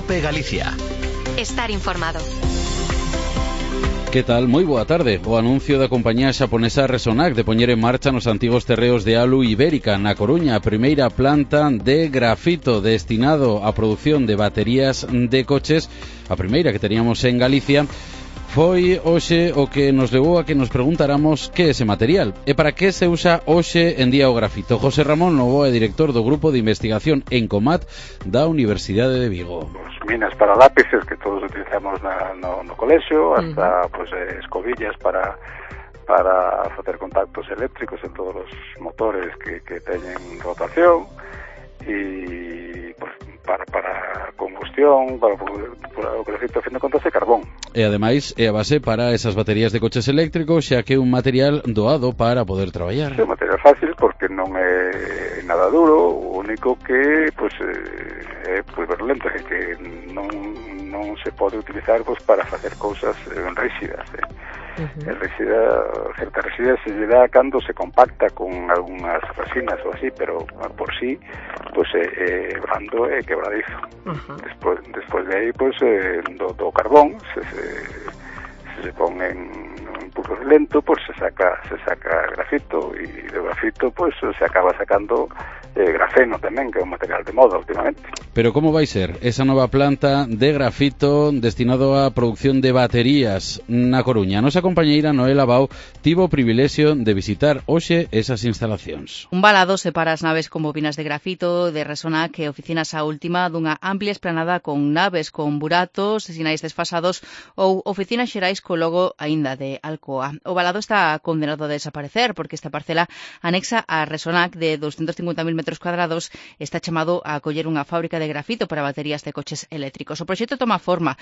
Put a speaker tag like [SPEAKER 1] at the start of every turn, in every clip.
[SPEAKER 1] COPE Galicia.
[SPEAKER 2] Estar informado.
[SPEAKER 3] Que tal? Moi boa tarde. O anuncio da compañía xaponesa Resonac de poñer en marcha nos antigos terreos de Alu Ibérica na Coruña a primeira planta de grafito destinado á produción de baterías de coches, a primeira que teníamos en Galicia. Foi hoxe o que nos levou a que nos preguntáramos que é ese material e para que se usa hoxe en día o grafito. José Ramón Novoa é director do Grupo de Investigación Encomat da Universidade de Vigo.
[SPEAKER 4] Minas para lápices que todos utilizamos no colexio, hasta escobillas para facer contactos eléctricos en todos os motores que teñen rotación e pues, para combustión, para o grafito, a fin de contas, é carbón.
[SPEAKER 3] E ademais é a base para esas baterías de coches eléctricos, xa que é un material doado para poder traballar.
[SPEAKER 4] É un material fácil porque non é nada duro, o único que é virulento, é que non se pode utilizar para facer cousas rígidas. Certa rigidez se lle dá cando se compacta con algunhas resinas ou así, pero por sí é blando e quebradizo. Despois de aí do carbón se pon en un pulso lento, se saca grafito, e do grafito se acaba sacando grafeno tamén, que é un material de moda últimamente.
[SPEAKER 3] Pero como vai ser esa nova planta de grafito destinado á produción de baterías na Coruña? A nosa compañeira Noela Bau tivo o privilexio de visitar hoxe esas instalacións.
[SPEAKER 5] Un balado separa as naves con bobinas de grafito de Resonac e oficinas a última dunha amplia esplanada con naves con buratos, sinais desfasados ou oficinas xerais co logo aínda de Alcoa. O balado está condenado a desaparecer porque esta parcela anexa a Resonac de 250.000 metros cuadrados está chamado a acoller unha fábrica de grafito para baterías de coches eléctricos. O proxecto toma forma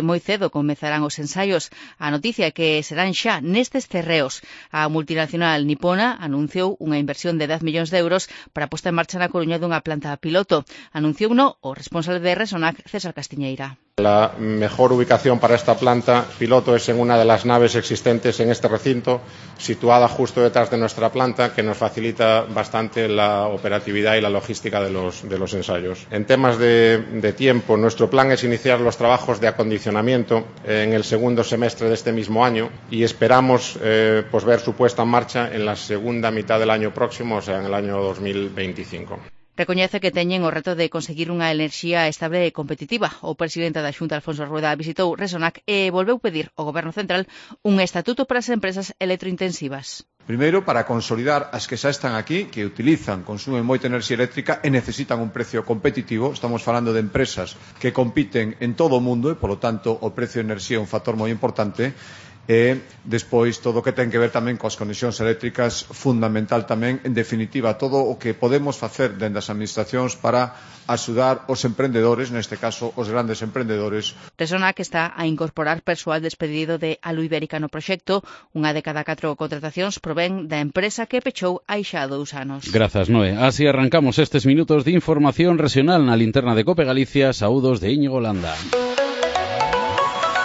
[SPEAKER 5] moi cedo comezarán os ensaios. A noticia é que serán xa nestes terreos. A multinacional nipona anunciou unha inversión de 10 millóns de euros para a posta en marcha na Coruña dunha planta piloto. Anunciouno o responsable de Resonac, César Castiñeira.
[SPEAKER 6] La mejor ubicación para esta planta piloto es en una de las naves existentes en este recinto, situada justo detrás de nuestra planta, que nos facilita bastante la operatividad y la logística de los ensayos. En temas de tiempo, nuestro plan es iniciar los trabajos de acondicionamiento en el segundo semestre de este mismo año y esperamos ver su puesta en marcha en la segunda mitad del año próximo, o sea, en el año 2025.
[SPEAKER 5] Recoñece que teñen o reto de conseguir unha enerxía estable e competitiva. O presidente da Xunta, Alfonso Rueda, visitou Resonac e volveu pedir ao Goberno Central un estatuto para as empresas electrointensivas.
[SPEAKER 7] Primeiro, para consolidar as que xa están aquí, que utilizan, consumen moita enerxía eléctrica e necesitan un precio competitivo. Estamos falando de empresas que compiten en todo o mundo e, polo tanto, o precio de enerxía é un factor moi importante. E despois todo o que ten que ver tamén coas conexións eléctricas, fundamental tamén, en definitiva, todo o que podemos facer dentro das administracións para axudar os emprendedores, neste caso os grandes emprendedores.
[SPEAKER 5] Resonac está a incorporar persoal despedido de Alu Ibérica no proxecto. Unha de cada 4 contratacións provén da empresa que pechou hai xa 2 anos.
[SPEAKER 3] Grazas, Noé. Así arrancamos estes minutos de información regional na linterna de COPE Galicia. Saúdos de Íñigo Landa.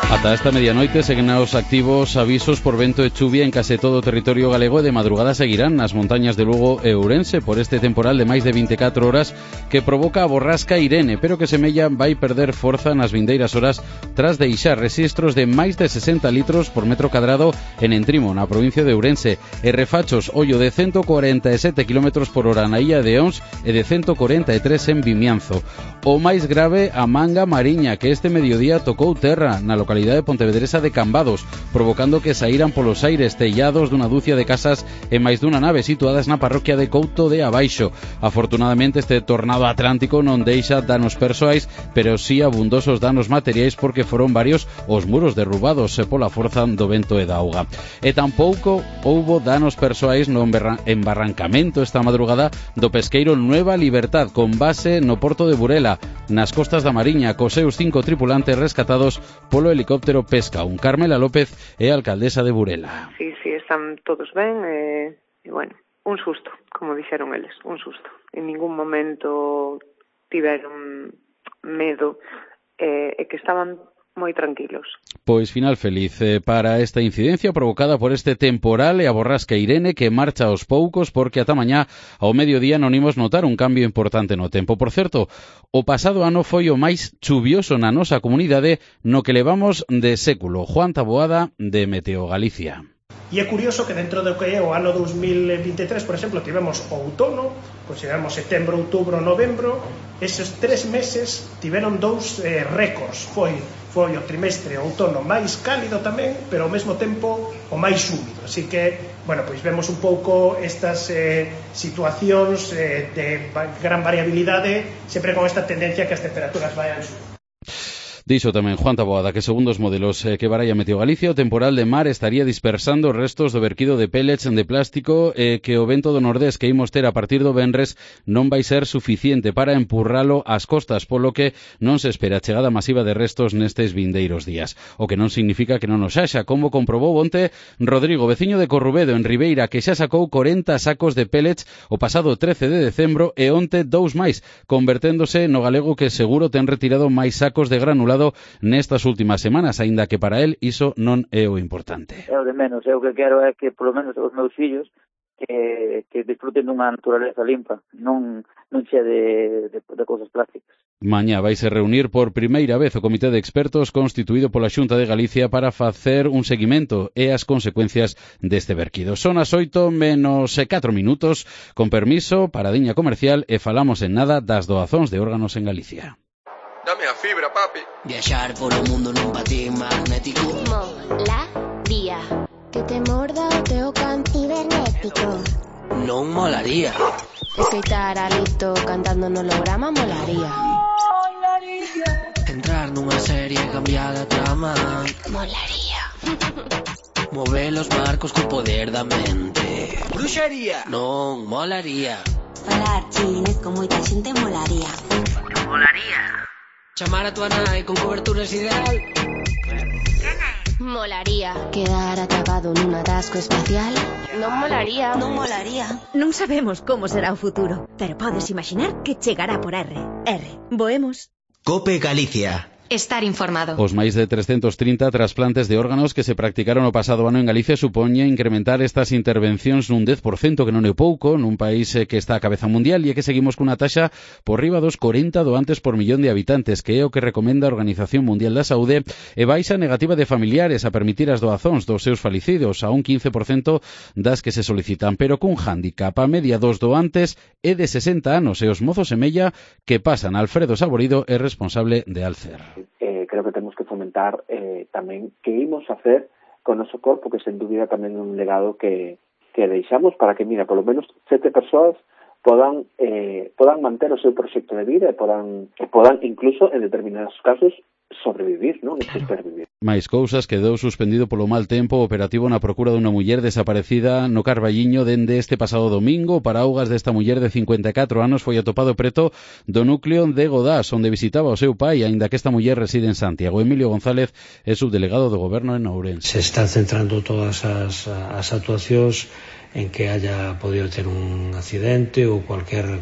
[SPEAKER 3] Ata esta medianoite seguen os activos avisos por vento e chuvia en case todo o territorio galego e de madrugada seguirán nas montañas de Lugo e Ourense por este temporal de máis de 24 horas que provoca a borrasca Irene, pero que semella vai perder forza nas vindeiras horas tras deixar rexistros de máis de 60 litros por metro cadrado en Entrimo, na provincia de Ourense, e refachos ollo de 147 km por hora na illa de Ons e de 143 en Vimianzo. O máis grave, a manga mariña, que este mediodía tocou terra na localidade de Pontevedresa de Cambados, provocando que saíran polos aires tellados dunha dúcia de casas e máis dunha nave situadas na parroquia de Couto de Abaixo. Afortunadamente este tornado atlántico non deixa danos persoais, pero sí abundosos danos materiais porque foron varios os muros derrubados pola forza do vento e da auga. E tampouco houbo danos persoais no embarrancamento esta madrugada do pesqueiro Nueva Libertad con base no porto de Burela, nas costas da Mariña, cos seus 5 tripulantes rescatados polo helicóptero Pesca. Carmela López é alcaldesa de Burela.
[SPEAKER 8] Sí, están todos ben e bueno, un susto, como dixeron eles, un susto. En ningún momento tiveron medo e que estaban moi tranquilos.
[SPEAKER 3] Pois final feliz para esta incidencia provocada por este temporal e a borrasca Irene que marcha aos poucos porque ata mañá ao mediodía non imos notar un cambio importante no tempo. Por certo, o pasado ano foi o máis chuvioso na nosa comunidade no que levamos de século. Juan Taboada, de Meteo Galicia.
[SPEAKER 1] E é curioso que dentro do que é o ano 2023, por exemplo, tivemos o outono, consideramos setembro, outubro, novembro, eses 3 meses tiveron 2 récords. Foi o trimestre outono máis cálido tamén, pero ao mesmo tempo o máis húmido. Así que, bueno, pois vemos un pouco estas situacións de gran variabilidade, sempre con esta tendencia que as temperaturas vayan subindo.
[SPEAKER 3] Dixo tamén Juan Taboada que segundo os modelos que baralla Meteo Galicia, o temporal de mar estaría dispersando restos do verquido de pellets de plástico que o vento do nordés que imos ter a partir do venres non vai ser suficiente para empurralo ás costas, polo que non se espera a chegada masiva de restos nestes vindeiros días. O que non significa que non os haxa, como comprobou onte Rodrigo, veciño de Corrubedo, en Ribeira, que xa sacou 40 sacos de pellets o pasado 13 de decembro e onte 2 máis, converténdose no galego que seguro ten retirado máis sacos de granulado nestas últimas semanas, aínda que para el iso non é o importante.
[SPEAKER 9] É o de menos, o que quero é que polo menos os meus fillos que disfruten dunha naturaleza limpa, non xe de cousas plásticas.
[SPEAKER 3] Mañá vaise reunir por primeira vez o comité de expertos constituído pola Xunta de Galicia para facer un seguimento e as consecuencias deste verquido. Son as 8 menos 4 minutos, con permiso, paradiña comercial e falamos en nada das doazóns de órganos en Galicia.
[SPEAKER 10] Dame a fibra, papi.
[SPEAKER 11] Viaxar por o mundo nun patín magnético.
[SPEAKER 12] Molaría. Que te morda o teu can cibernético.
[SPEAKER 11] Non molaría.
[SPEAKER 12] Escoitar a Lito cantando no holograma molaría.
[SPEAKER 11] Entrar nunha serie e cambiar a trama.
[SPEAKER 12] Molaría.
[SPEAKER 11] Mover os marcos co poder da mente. Bruxería. Non molaría.
[SPEAKER 13] Falar chinés con moita xente molaría.
[SPEAKER 11] Molaría. Chamar a tua nai con cobertura ideal.
[SPEAKER 12] Molaría. Quedar atrapado nun atasco espacial. Non molaría.
[SPEAKER 13] Non molaría.
[SPEAKER 14] Non sabemos como será o futuro, pero podes imaginar que chegará por R. Voemos.
[SPEAKER 15] COPE Galicia.
[SPEAKER 2] Estar informado.
[SPEAKER 3] Os máis de 330 trasplantes de órganos que se practicaron o pasado ano en Galicia supoñe incrementar estas intervencións nun 10%, que non é pouco, nun país que está a cabeza mundial e que seguimos cunha taxa por riba dos 40 doantes por millón de habitantes, que é o que recomenda a Organización Mundial da Saúde, e baixa negativa de familiares a permitir as doazóns dos seus falecidos a un 15% das que se solicitan, pero cun hándicap. A media dos doantes é de 60 anos e os mozos semella que pasan. Alfredo Saborido é responsable de Alcer.
[SPEAKER 16] Creo que temos que fomentar tamén que imos facer con o noso corpo, que sen dúbida tamén é un legado que deixamos para que, mira, polo menos 7 persoas podan manter o seu proxecto de vida e podan incluso, en determinados casos, sobrevivir, non? Supervivir.
[SPEAKER 3] máis cousas, quedou suspendido polo mal tempo o operativo na procura dunha muller desaparecida no Carballiño dende este pasado domingo. O paraugas desta muller de 54 anos foi atopado preto do núcleo de Godás, onde visitaba o seu pai, aínda que esta muller reside en Santiago. Emilio González é subdelegado do Goberno en Ourense.
[SPEAKER 17] Se están centrando todas as actuacións en que haya podido ter un accidente ou cualquier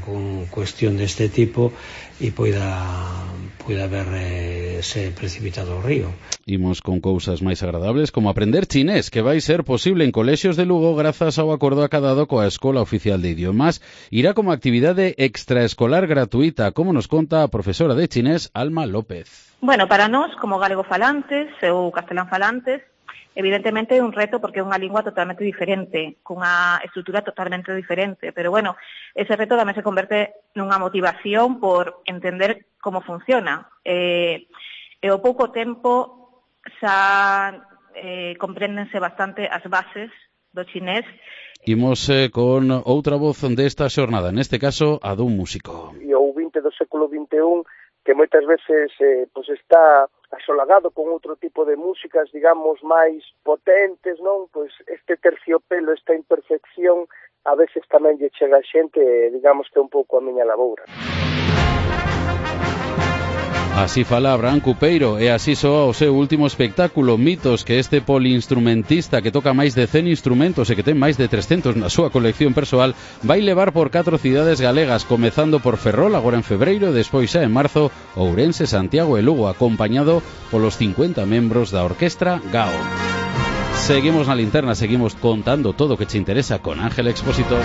[SPEAKER 17] cuestión deste tipo e poida haberse precipitado ao río.
[SPEAKER 3] Imos con cousas máis agradables, como aprender chinés, que vai ser posible en colexios de Lugo grazas ao acordo acadado coa Escola Oficial de Idiomas. Irá como actividade extraescolar gratuita, como nos conta a profesora de chinés Alma López.
[SPEAKER 18] Bueno, para nós, como galego falantes ou castelán falantes, evidentemente é un reto porque é unha lingua totalmente diferente, cunha estrutura totalmente diferente, pero bueno, ese reto tamén se converte nunha motivación por entender como funciona. E ao pouco tempo xa compréndense bastante as bases do chinés.
[SPEAKER 3] Imos con outra voz desta xornada, neste caso a dun músico.
[SPEAKER 19] E o 20 do século XXI, que moitas veces pues está asolagado con outro tipo de músicas, digamos, máis potentes, non? Pois este terciopelo, esta imperfección, a veces tamén lle chega a xente, digamos que é un pouco a miña laboura.
[SPEAKER 3] Así fala Abraham Cupeiro e así soa o seu último espectáculo Mitos, que este poliinstrumentista que toca máis de 100 instrumentos e que ten máis de 300 na súa colección persoal vai levar por 4 cidades galegas, comezando por Ferrol agora en febreiro e despois xa en marzo Ourense, Santiago e Lugo, acompañado polos 50 membros da Orquestra GAO. Seguimos na linterna, seguimos contando todo o que te interesa con Ángel Expósito.